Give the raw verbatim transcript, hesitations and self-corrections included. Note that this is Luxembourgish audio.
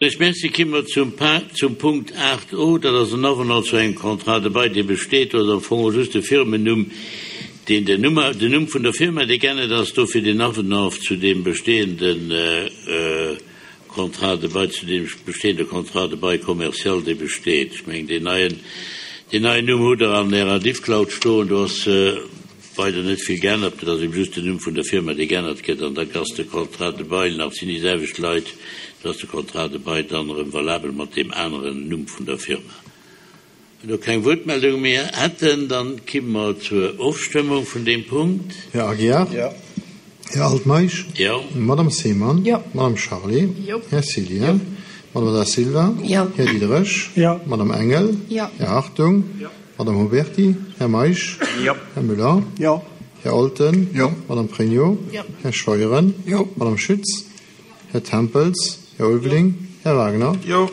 Ech Merci. Komme mer zum, pa zum Punkt aacht O, dat ass en Avenant zu engem Contrat de bail, dee besteet, do ass am Fong just de Firmennumm, deen den Numm, den Numm vun der Firma, dee geännert ass, dofir den Avenant zu deem bestehenden äh, Contrat de bail, zu deem bestehende Contrat de bail commercial, dee besteet. Ech mengen, deen neien, deen neien Numm hutt Der an Ärer Diffcloud stoen, do ass äh, weider net vill geännert, dat ass eben just den Numm vun der Firma, dee geännert gëtt, an da ass de Contrat de bail nach sinn déi selwecht Leit, do ass de Contrat de bail dann erëm valabel mat deem aneren Numm vun der Firma. Wann do keng Wuertmeldung méi hätten, dann komme mer zur Ofstëmmung vun deem Punkt. Här Aguiar? Jo. Här Altmeisch? Jo. Madame Seemann? Jo. Madame Charlé? Jo. Här Cillien? Madame Da Silva? Jo. Här Diderich? Jo. Madame Engel? Jo. Här Hartung? Jo. Madame Huberty? Här Meisch? Jo. Här Müller? Jo. Här Olten? Jo. Madame Pregno? Jo. Här Scheuren? Jo. Madame Schütz? Här Tempels? Här Ulveling? Här Wagner? Jo.